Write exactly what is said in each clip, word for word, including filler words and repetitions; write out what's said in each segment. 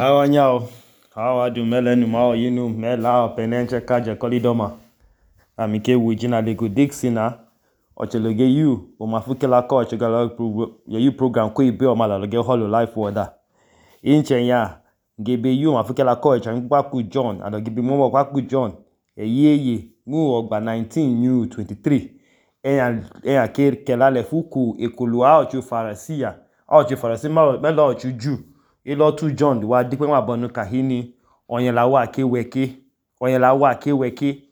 How nhau? How are you? Melenu mao yinu mela penenche kaje kolidoma. Amike wujina lego dixina. Ocheloge you o mafukela ko ochegala ye you program ko ibe o mala loge holo life water. Inche ya gebe you mafukela ko echangba ku John ado gebe mo kwa ku John. Eyeye mu ogba nineteen new twenty-three. Eya eya ke kelale fuku ekulua ochu farasia. Ochu farasia ma melo ochu ju. Ilo tu John wa dikwe ma bonu kahini onyela wa ke weke onyela wa ke weke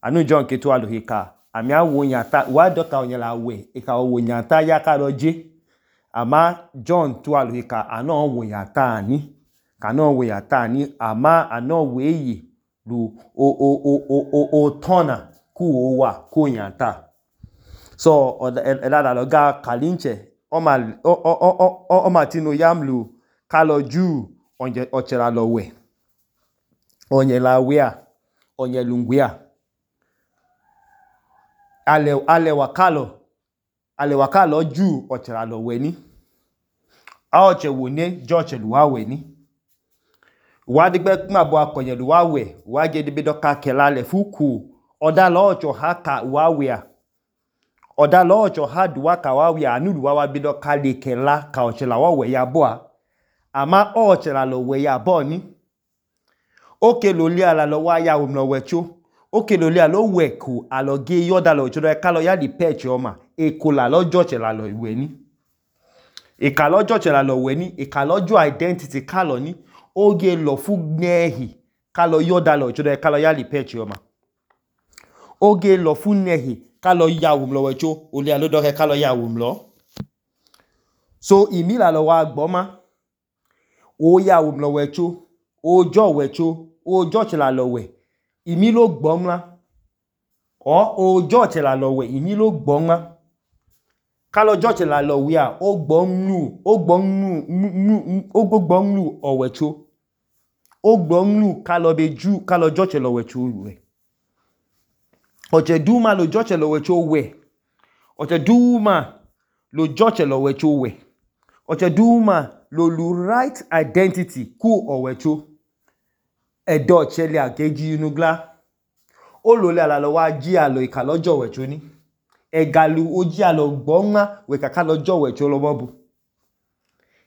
anu John ke to alohika ami awo nyata wa doka onyela we e ka wo nyata ya ka roje ama John to alohika ano wo nyata ani kana wo nyata ani ama ano we yi lu o o o o o o tona ku o wa ku nyata so elada loga kalinche o ma o o o o matino yamlu kalo ju onye ochera lowe onye la wea onye lungwea ale ale wakalo ale wakalo ju ochera lowe ni a oche wone joche luwa we ni wa digbe ma bo akonye luwa we wa je dibe doka kelale fuku oda lo ocho haka wa wea oda lo ocho hadwa ka wa wea anu luwa wa bido ka le kela ka ochela wa we ya boa ama o chela lo we ya boni oke lo li ala lo wa ya umlo wecho oke lo li ala lo weku alo ge yoda lo chodo e ka lo ya di peche oma e ko la lojo chela lo we ni e ka lojo chela lo we ni e ka lojo identity ka lo ni oge lo fu nehi ka lo yoda lo chodo e ka lo ya di peche oma oge lo fu nehi ka lo ya umlo wecho o li ala do ke ka lo ya umlo so imi la lo wa gboma o ya umlo wecho ojo wecho ojo chela lowe imi lo gbomla o ojo chela lowe imi lo gbomla kalo jo chela lowe a o gbomnu o gbomnu o gbomnu o wecho o gbomnu kalo beju kalo jo chela wecho we oje duma lo jo chela wecho we oje duma lo jo chela wecho we oje duma lo lu right identity ku owecho edo chele ageji inugla o lo le ala lo wa ji alo ika lojo wecho ni egalu oji alo gbonma we kaka lojo wecho lo bobu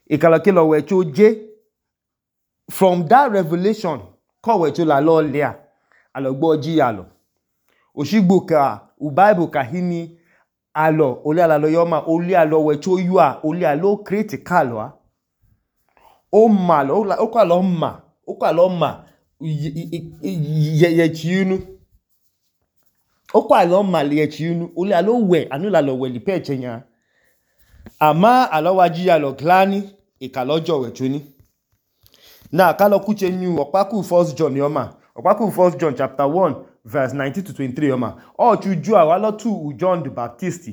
ikalo ke lo wecho je from that revelation ko wecho la lo le a alo gbo ji alo osigbo ka u bible ka hini alo ole ala lo yoma ole alo wecho yu a ole alo critical a o ma lo o kwa lo ma o kwa lo ma ye ye chiunu o kwa lo ma ye chiunu o le alo we anu la lo we li peche nya ama alo waji ya lo glani e ka lojo we chuni na ka lo kuche nyu opaku first John yoma opaku first John chapter one verse nineteen to twenty-three yoma o chuju awa lo tu John the Baptist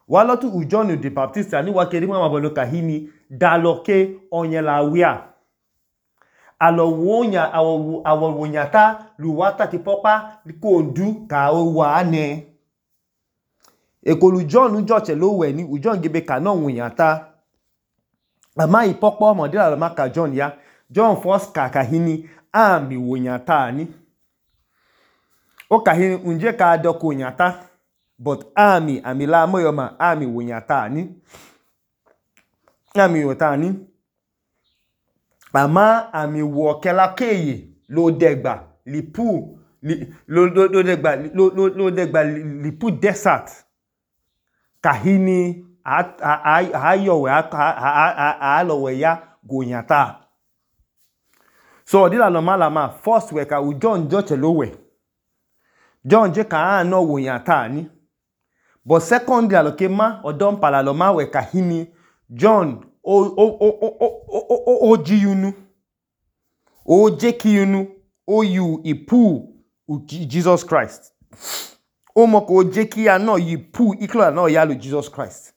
wa lo tu John the Baptist ani wa keri ma bolo kahini daloke onyela wia alo wonya awo awo wonyata luwata ti popa ko ndu ka o wa ne ekolu John joche lo we ni John gebe ka no wonyata ama ipopo mo dira lo maka John ya John first ka kahini ami wonyata ni o kahini unje ka doko wonyata but ami amila moyoma ami wonyata ni ami wonyata ni ama ami wo kela keye lo degba lipu li, lo lo lo degba lo lo lo degba lipu desert kahini ayo we a lo we ya gonyata so dila lo malama first we ka u John joche lo we John je ka no wonyata ni but secondly aloke ma odon pala lo ma we kahini John o o o o o o o jiyunu o jekiyunu o yu ipu Jesus Christ o mo ko jeki ya no ipu iklo na ya lo Jesus Christ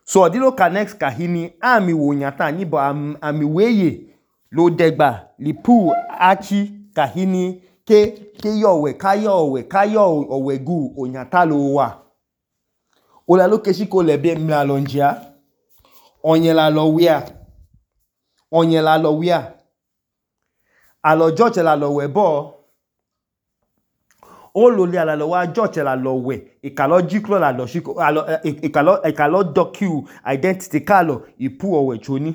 so odilo connect kahini ami wonyata ni bo ami weye lo degba lipu achi kahini ke ke yowe kayowe kayo owegu onyata lo wa o la lo keshi ko le be mla lonjia onyela lo wia onyela lo wia Alọ George la lọ wẹ̀ bọ́. Ó lò lé àlọ́ wa George la lọ wẹ̀. Ìkàlọ́ jíkúrò la lọ ṣíkò. Ìkàlọ́ ìkàlọ́ docu identity kálọ̀ ìpú ọ̀wẹ̀ choni.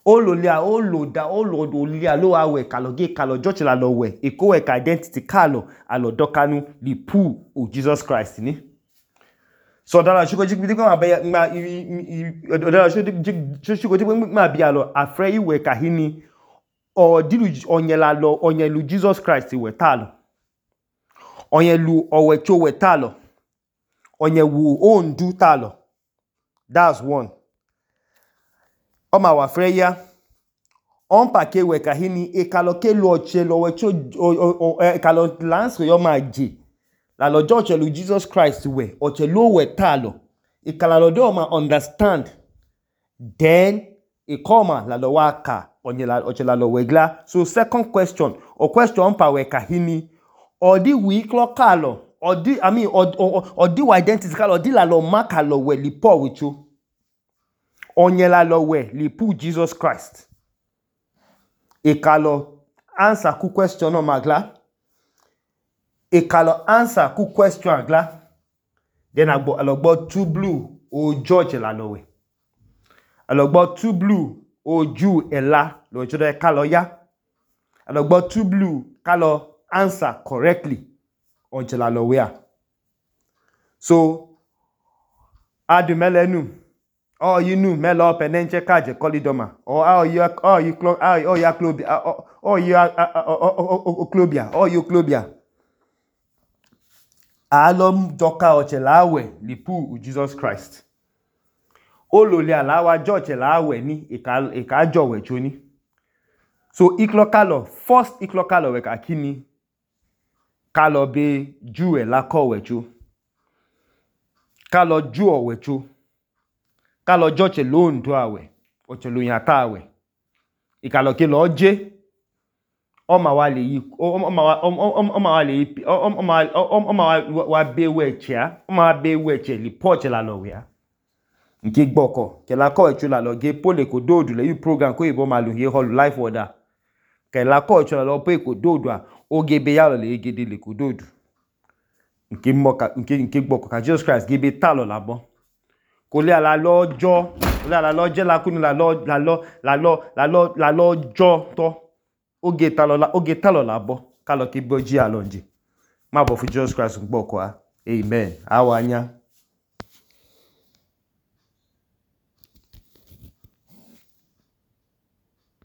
Ó lò lé à ó lò da ó lò lé àlọ́ wa wẹ̀ kálọ̀ gé kálọ̀ George la lọ wẹ̀. Ìkó wẹ̀ ka identity kálọ̀ àlọ́ dọ́kanu ìpú o Jesus Christ ni. So dara ṣíkò jíkò tí wọ́n abẹ́ ma dara ṣíkò tí wọ́n ma bí àlọ́ àfẹ́ ìwẹ̀ kàhíní ọ̀dìlù ọ̀nyẹ̀lá lọ ọ̀nyẹ̀lù Jesus Christ wẹ̀ tálọ̀. Ọ̀nyẹ̀lù ọ̀wẹ̀ tí ó wẹ̀ tálọ̀. Ọ̀nyẹ̀wù òǹdú tálọ̀. That's one. Ọmọ àwà fẹ́ yá. On pàkẹ́ wẹ̀ kàhíní ìkàlọ́ ké lọ ọ̀chẹ́ lọ́wẹ̀ tí ó ìkàlọ́ láǹsì yọ máa jẹ. Lálọ́ George lu Jesus Christ wẹ̀ ọ̀chẹ́ ló wẹ̀ tálọ̀. Ìkàlọ́ lọ́dọ̀ ọmọ understand. Then ìkọ́ọ̀mà lálọ́ wá kà ọ̀chẹ́ lálọ́ wẹ̀ glá. So second question or question pa wẹ̀ kàhíní ọ̀dí wì klọ́ kálọ̀ ọ̀dí I mean ọ̀dí wà identity kálọ̀ ọ̀dí lálọ́ má kálọ̀ wẹ̀ lì pọ̀ wìchó. Ọ̀nyẹ̀ lálọ́ wẹ̀ lì pú Jesus Christ. Ìkàlọ́ answer ku question ọmọ àglá. Ìkàlọ́ answer ku question àglá. Then àgbọ̀ àlọ́gbọ́ two blue o George lálọ́ wẹ̀. Àlọ́gbọ́ two blue o Jew ẹ̀la lọ́wọ́ ìṣọ́dọ̀ kálọ̀ yá. Àlọ́gbọ́ two blue kálọ̀ answer correctly ọ̀chẹ́ lálọ́ wẹ̀ à. So adùmẹ́lẹ́nu ọ yìí nù mẹ́lọ pẹ̀nẹ́ńchẹ́ káàjẹ̀ kọ́lídọ́mà ọ yìí ọ yìí ọ yìí klóbíà ọ yìí klóbíà ọ yìí klóbíà. Àlọ́ dọ́ka ọ̀chẹ́ láwẹ̀ lìpú Jesus Christ. Ó lò lé àláwà George láwẹ̀ ní ìkàjọ̀wẹ̀ choni. So ìklọ́kálọ̀ first ìklọ́kálọ̀ wẹ̀ kàkíní kálọ̀ bẹ Jew ẹ̀ lákọ̀wẹ̀ cho. Kálọ̀ Jew ọ̀wẹ̀ cho. Kálọ̀ George lóǹdó àwẹ̀ ọ̀chẹ́ lóyìn àtà àwẹ̀. Ìkàlọ̀ ké lọ jẹ́ ọmọ wa lè yí ọmọ wa ọmọ wa lè yí ọmọ wa bẹ wẹ̀chẹ̀ ọmọ wa bẹ wẹ̀chẹ̀ lè pọ̀chẹ̀ lálọ́ wẹ̀. Nke gbọ́kọ̀ kẹlá kọ́ ẹ̀chọ́ lálọ́ gé pólè kò dóòdù lẹ́yìn program kó ìbọn máa lò yé hall life order. Kẹlá kọ́ ẹ̀chọ́ lálọ́ pé kò dóòdù à ó gé bẹ yálọ̀ lè gé lè kò dóòdù. Nke mọ́ka nke nke gbọ́kọ̀ ka Jesus Christ gé bẹ tálọ̀ làbọ́. Kò lé àlá lọ́jọ́ kò lé àlá lọ́jẹ́ lákúnú lálọ́ lálọ́ lálọ́ lálọ́ lálọ́ jọ́ tọ́. Ó gé tálọ̀ ó gé tálọ̀ làbọ́ kálọ̀ kí bọ́ jí àlọ́ njẹ́. Má bọ̀ fún Jesus Christ gbọ́kọ̀ à. Amen. Àwa anya.